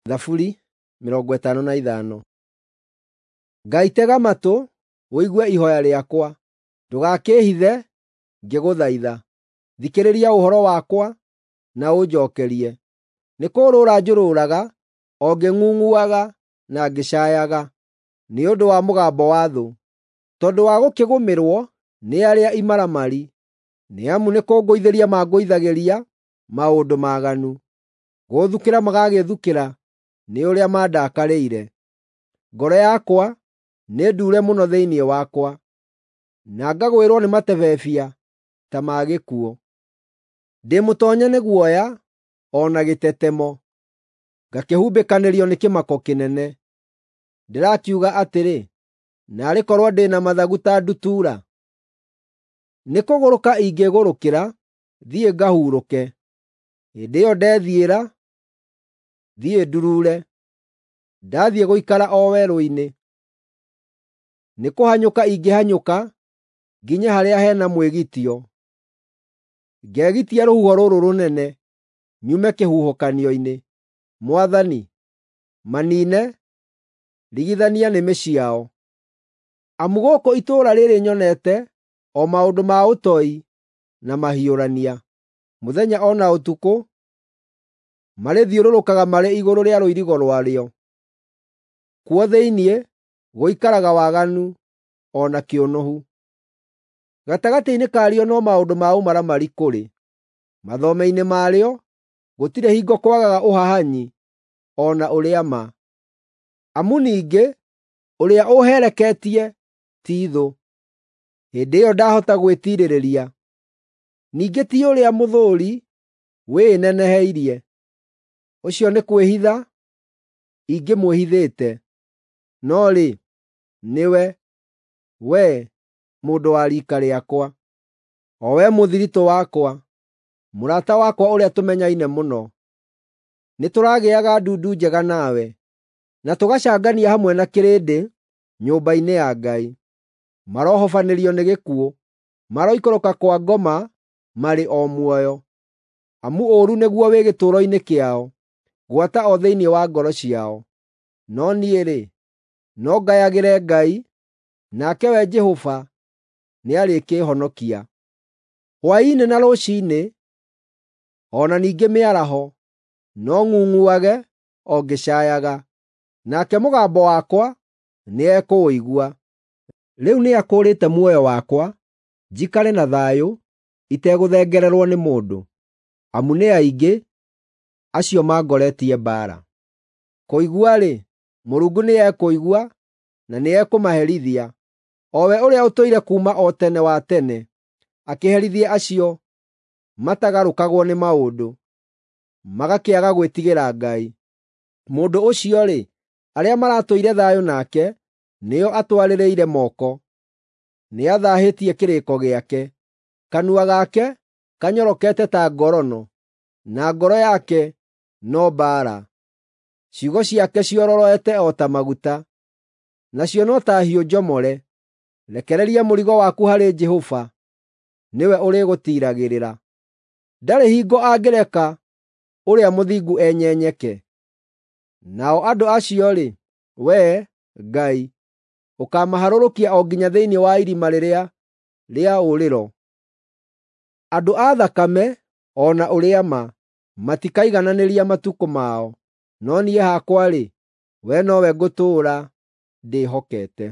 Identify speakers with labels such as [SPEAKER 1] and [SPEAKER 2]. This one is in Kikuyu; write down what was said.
[SPEAKER 1] Thaburi 55. Ngai tega matũ ũigue ihooya rĩakwa, ndũgakĩĩhithe ngĩgũthaitha. Thikĩrĩria ũhoro wakwa na ũnjookerie. Nĩkũũrũũra njũrũũraga o ngĩng'ung'uaga na ngĩcaayaga nĩ ũndũ wa mũgambo wa thũ, tondũ wa gũkĩgũmĩrwo nĩ arĩa imaramari, nĩ amu nĩkũngũithĩria mangũithagĩria maũndũ maaganu, gũũthukĩra magagĩthukĩra nĩ ũrĩa mandakarĩire. Ngoro yakwa nĩ nduure mũno thĩinĩ wakwa, na ngagwĩrwo nĩ matebebia ta ma gĩkuũ. Ndĩ mũtoonye nĩ guoya o na gĩtetemo, ngakĩhumbĩkanĩrio nĩ kĩmako kĩnene. Ndĩrakiuga atĩrĩ, “Naarĩ korwo ndĩ na mathagu ta ndutura! Nĩkũgũrũka ingĩgũrũkĩra thiĩ ngahurũke. Hĩndĩ ĩyo ndethiĩra, thiĩ nduruure, ndathiĩ gũikara o werũ-inĩ. Nĩkũhanyũka ingĩhanyũka nginye harĩa he na mwĩgitio, ngegitia rũhuho rũrũ rũnene, nyume kĩhuhũkanio-inĩ. Mwathani, maniine, rigithania nĩmĩ ciao. Amu gũkũ itũũra rĩĩrĩ nyonete o maũndũ ma ũtoi na mahiũrania. Mũthenya o na ũtukũ marĩthiũrũrũkaga marĩ igũrũ rĩa rũirigo rwarĩo. Kuo thĩinĩ gũikaraga waganu o na kĩũnũhu. Gatagatĩ-inĩ karĩo no maũndũ ma ũmaramari kũrĩ; mathome-inĩ marĩo gũtirĩ hingo kwagaga ũhahanyi o na ũrĩa-ma. Amu ningĩ ũrĩa ũũhereketie ti thũ, hĩndĩ ĩyo ndahota gwĩtiirĩrĩria. Ningĩ ti ũrĩa mũthũũri wĩĩneneheirie, ũcio nĩ kwĩhitha ingĩmwĩhithĩte. No rĩ, nĩwe, wee mũndũ wa riika rĩakwa, o wee mũthiritũ wakwa, mũrata wakwa ũrĩa tũmenyaine mũno. Nĩtũragĩaga ndundu njega nawe, na tũgacangania hamwe na kĩrĩndĩ nyũmba-inĩ ya Ngai. Marohobanĩrio nĩ gĩkuũ, maroikũrũka kwa ngoma marĩ o muoyo. Amu ũũru nĩguo wĩ gĩtũũro-inĩ kĩao, gwata o thĩinĩ wa ngoro ciao. No niĩ-rĩ, no ngayagĩre Ngai, nake we Jehova nĩarĩkĩĩhonokia. Hwaĩ-inĩ na rũciinĩ, o na ningĩ mĩaraho, no ng'ung'uage o ngĩcaayaga, nake mũgambo wakwa nĩekũũigua. Rĩu nĩakũũrĩte muoyo wakwa njikare na thayũ itegũthengererwo nĩ mũndũ, amu nĩ aingĩ acio mangoretie mbaara. Kũigua-rĩ, Mũrungu nĩekũigua na nĩekũmaherithia, o we ũrĩa ũtũire kuuma o tene wa tene, akĩherithie acio matagarũkagwo nĩ maũndũ, magakĩaga gwĩtigĩra Ngai. Mũndũ ũcio-rĩ, arĩa maratũire thayũ nake nĩo atwarĩrĩire moko. Nĩathaahĩtie kĩrĩĩko gĩake. Kanua gake kanyorokete ta ngorono, na ngoro yake no mbaara. Ciugo ciake ciororoete o ta maguta, nacio no ta hiũ njomore. Rekereria mũrigo waku harĩ Jehova, nĩwe ũrĩgũtiiragĩrĩra. Ndarĩ hingo angĩreka ũrĩa mũthingu enyenyeke. Nao andũ acio-rĩ, wee, Ngai, ũkaamaharũrũkia o nginya thĩinĩ wa irima rĩrĩa rĩa ũũrĩro. Andũ a thakame o na ũrĩa-ma matikaigananĩria matukũ mao, no niĩ hakwa-rĩ, wee nowe ngũtũũra ndĩhokete.